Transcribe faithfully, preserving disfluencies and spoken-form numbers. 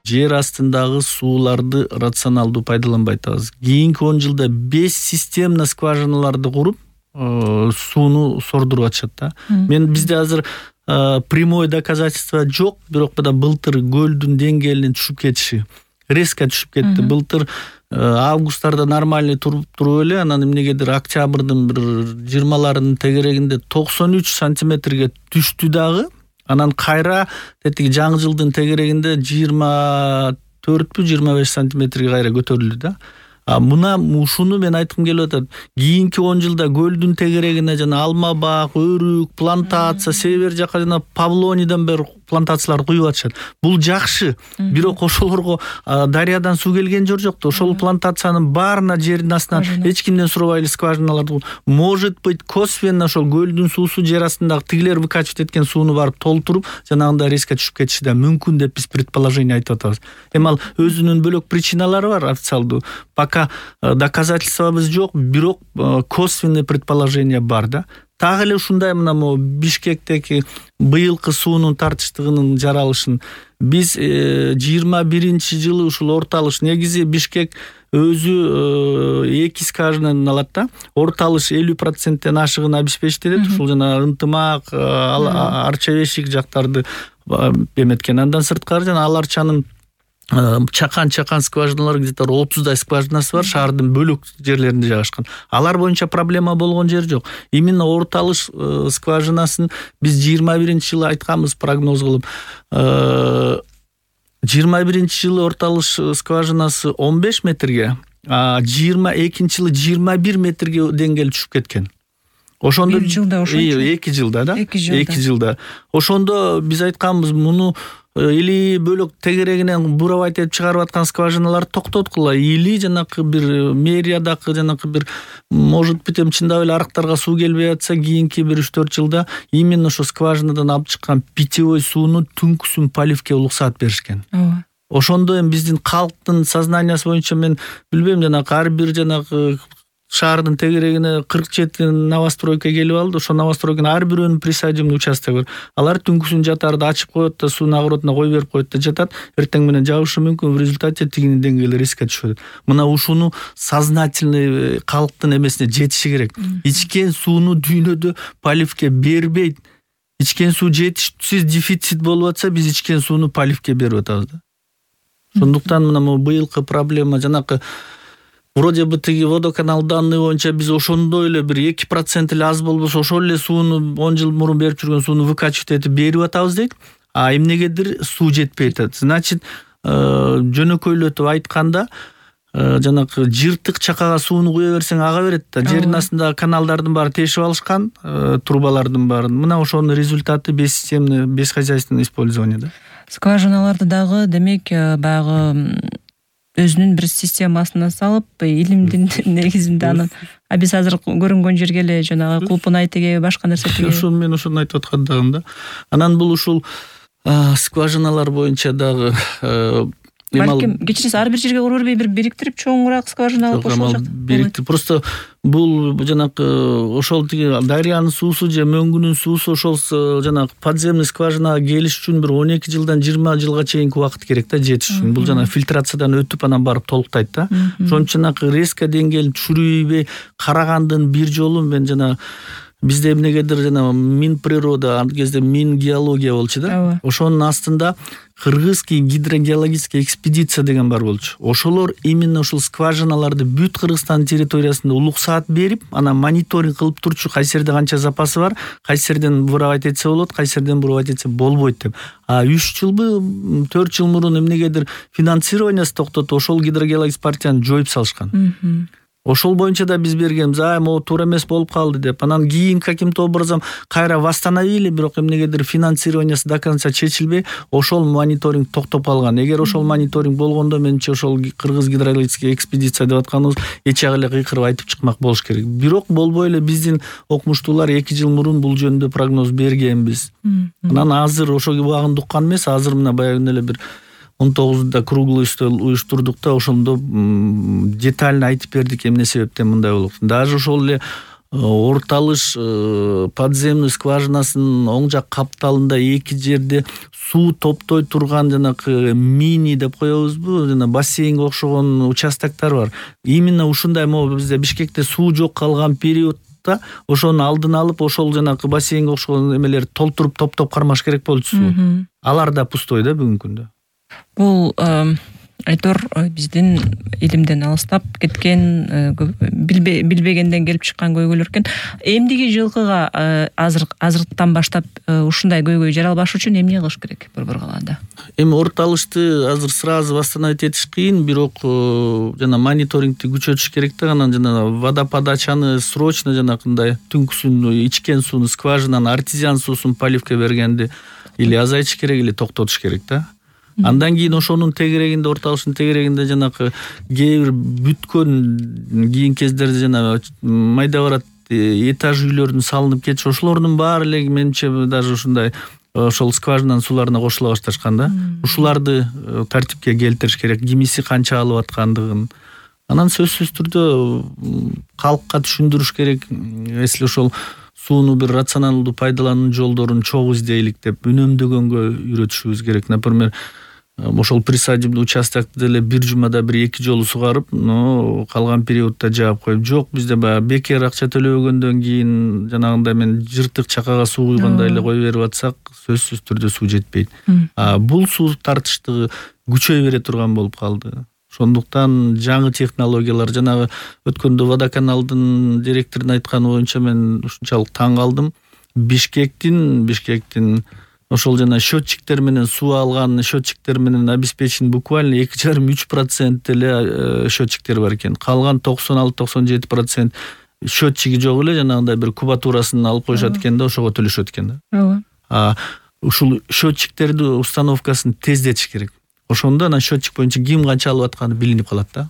жер астындагы сууларды рационалдуу пайдаланбай атабыз. Кийинки он жылда беш системный скважиналарды куруп, сууну сордуруп атышат да. Мен бизде азыр прямой доказательство жок, бирок мына былтыр көлдүн деңгээлинин түшүп кетиши резко түшүп кетти. Былтыр августтарда нормальный туруп туруп эле, анан эмнегедир октябрдын бир жыйырмаларынын тегерегинде токсон үч сантиметрге түштү дагы. Анан кайра тетиги жаңы жылдын тегерегинде жыйырма төртпү жыйырма беш сантиметрге кайра көтөрүлдү да. А мына ушуну мен айткым келип атат. Кийинки он жылда көлдүн тегерегине жана алма бак, өрүк, плантация, север жака жана Павлониядан бери плантациялар куюп атышат. Бул жакшы. Бирок ошолорго дарыядан суу келген жок жок. Ошол плантациянын баарына жердин астынан эч кимден сурабай эле скважиналарды. Может быть, косвенно ошол көлдүн суусу жер астындагы тигилер выкачивать эткен сууну барып толтуруп, жанагындай резко түшүп кетиши да мүмкүн деп биз предположение айтып атабыз. Эми ал өзүнүн бөлөк причиналары бар официалдуу. Пока доказательствобуз жок, бирок косвенный предположение бар да. Так эле ушундай мына могу Бишкектеги быйылкы суунун тартыштыгынын жаралышын биз жыйырма биринчи жылы ушул орталыш, негизи Бишкек өзү эки скважинадан алат да. Орталыш элүү проценттен ашыгын обеспечить этет. Ушул жана Ынтымак, Арча-Бешик жактарды эметкен. Андан сырткары жана Ал Арчанын чакан-чакан скважиналар где-то отуздай скважинасы бар, шаардын бөлөк жерлеринде жайгашкан. Алар боюнча проблема болгон жер жок. Именно орталыш скважинасын биз жыйырма биринчи жылы айтканбыз прогноз кылып. жыйырма биринчи жылы орталыш скважинасы он беш метрге, а жыйырма экинчи жылы жыйырма бир метрге деңгээл түшүп кеткен. Ошондо бир жылда ошончо эки жылда да. эки жылда. эки жылда. Ошондо биз айтканбыз, муну или бөлөк тегерегинен буравайт этип чыгарып аткан скважиналар токтоткула, или жанакы бир мэриядагы жанакы бир может быть эми чындап эле арыктарга суу келбей атса, кийинки бир үч төрт жылда именно ошо скважинадан алып чыккан питьевой сууну түнкүсүн поливке улуксаат беришкен. Ооба. Ошондо эми биздин калктын сознаниясы боюнча мен билбейм, жанакы ар бир жанакы шаардын тегерегине кырк жети новостройка келип алды. Ошо новостройканын ар бирөөнүн присадибный участогу бар. Алар түнкүсүн жатарды ачып коет да, суунун огородуна кой берип коет да жатат. Эртең менен жагышы мүмкүн, в результате тигинин деңгээли резко түшөт. Мына ушуну сознательный калктын эмесине жетиши керек. Ичкен сууну дүйнөдө поливке бербейт. Ичкен суу жетишсиз, дефицит болуп атса, биз ичкен сууну поливке берип атабыз да. Сондуктан мына быйылкы проблема жанакы вроде бы тиги водоканал данные боюнча биз ошондой эле бир эки процент эле аз болбосо ошол эле сууну он жыл мурун берип жүргөн сууну выкачивать этип берип атабыз дейт. А эмнегедир суу жетпей атат. Значит, жөнөкөйлөтүп айтканда, жанакы жыртык чакага сууну куя берсең ага берет да. Жердин астындагы каналдардын баары тешип алышкан, трубалардын баарын. Мына ошонун результаты бессистемный, бесхозяйственное использование да. Скважиналарды дагы демек баягы өзүнүн бир системасына салып, илимдин негизинде анын, а биз азыр көрүнгөн жерге эле жанагы кулпунай тиги, башка нерсе тиги. Ошо мен ошону айтып аткандагым да. Анан бул ушул скважиналар боюнча дагы балким кечиресиз ар бир жерге кура бербей бир бириктирип чоңураак скважина кошуп жатат. Бириктирип просто бул жанакы ошол тиги дарыянын суусу же мөңгүнүн суусу ошол жанагы подземный скважинага келиш үчүн бир он эки жылдан жыйырма жылга чейинки убакыт керек да, жетиш үчүн. Бул жана фильтрациядан өтүп анан барып толуктайт да. Ошон үчүн жанакы резко деңгээлин түшүрбөй карагандын бир жолу мен жана бизде эмнегедир жана Минприрода, ал кезде Мингеология болчу да. Ошонун астында Кыргызский гидрогеологический экспедиция деген бар болчу. Ошолор именно ушул скважиналарды бүт Кыргызстан территориясында улуксаат берип, анан мониторинг кылып турчу, кайсы жерде канча запасы бар, кайсы жерден буравайт этсе болот, кайсы жерден буравайт этсе болбойт деп. А үч жылбы, төрт жыл мурун эмнегедир финансированиясы токтотуп, ошол гидрогеологический партияны жоюп салышкан. Ошол боюнча да биз бергенбиз, а могу туура эмес болуп калды деп. Анан кийин каким-то образом кайра восстановили, бирок эмнегедир финансированиясы до конца чечилбей, ошол мониторинг токтоп калган. Эгер ошол мониторинг болгондо менимче ошол Кыргыз гидрологический экспедиция деп атканыбыз эч ак эле кыйкырып айтып чыкмак болуш керек. Бирок болбой эле биздин окумуштуулар эки жыл мурун бул жөнүндө прогноз бергенбиз. Анан азыр ошол убагында уккан эмес, азыр мына баягы эле бир он тогузунда круглый стол уюштурдук да, ошондо детально айтып бердик эмне себептен мындай болуп. Даже ошол эле Орталыш подземный скважинасынын оң жак капталында эки жерде суу топтой турган жанакы мини деп коебузбу, жана бассейнге окшогон участоктор бар. Именно ушундай могу бизде Бишкекте суу жок калган периодда ошонун алдын алып, ошол жанакы бассейнге окшогон эмелерди толтуруп топтоп кармаш керек болчу суу. Алар да пустой да бүгүнкү күндө. Бул айтор биздин илимден алыстап кеткен, билбегенден келип чыккан көйгөйлөр экен. Эмдиги жылкыга азыр азыртан баштап ушундай көйгөй жаралбаш үчүн эмне кылыш керек Борбор калаада? Эми Орталышты азыр сразу восстановить этиш кыйын, бирок жана мониторингти күчөтүш керек да, анан жана водоподачаны срочно жанакындай түнкүсүн ичкен сууну скважинанын артезиан суусун поливке бергенди или азайтыш керек, или токтотуш керек да. Андан кийин ошонун тегерегинде, Орталыштын тегерегинде жанакы кээ бир бүткөн кийин кездерде жана майда барат этаж үйлөрдүн салынып кетиши, ошолордун баары эле менимче даже ушундай ошол скважинанын сууларына кошула башташкан да. Ушуларды тартипке келтириш керек, кимиси канча алып аткандыгын. Анан сөзсүз түрдө калкка түшүндүрүш керек, если ошол сууну бир рационалдуу пайдалануу жолдорун чогуу издейлик деп үнөмдөгөнгө үйрөтүшүбүз керек. Например, ошол присадибный участокты деле бир жумада бир эки жолу сугарып, но калган периодда жаап коюп, жок бизде баягы бекер акча төлөбөгөндөн кийин жанагындай мен жыртык чакага суу куйгандай эле кое берип атсак, сөзсүз түрдө суу жетпейт. А бул суу тартыштыгы күчөй бере турган болуп калды. Ошондуктан жаңы технологиялар, жанагы өткөндө водоканалдын директорунун айтканы боюнча мен ушунчалык таң калдым. Бишкектин Бишкектин ошол жана счетчиктер менен суу алган счетчиктер менен обеспечен буквально эки жарым үч процент эле счетчиктер бар экен. Калган токсон алты токсон жети процент счетчиги жок эле, жанагындай бир кубатурасын алып коюшат экен да, ошого төлөшөт экен да. Ооба. А ушул счетчиктерди установкасын тездетиш керек. Ошондо анан счетчик боюнча ким канча алып атканы билинип калат да.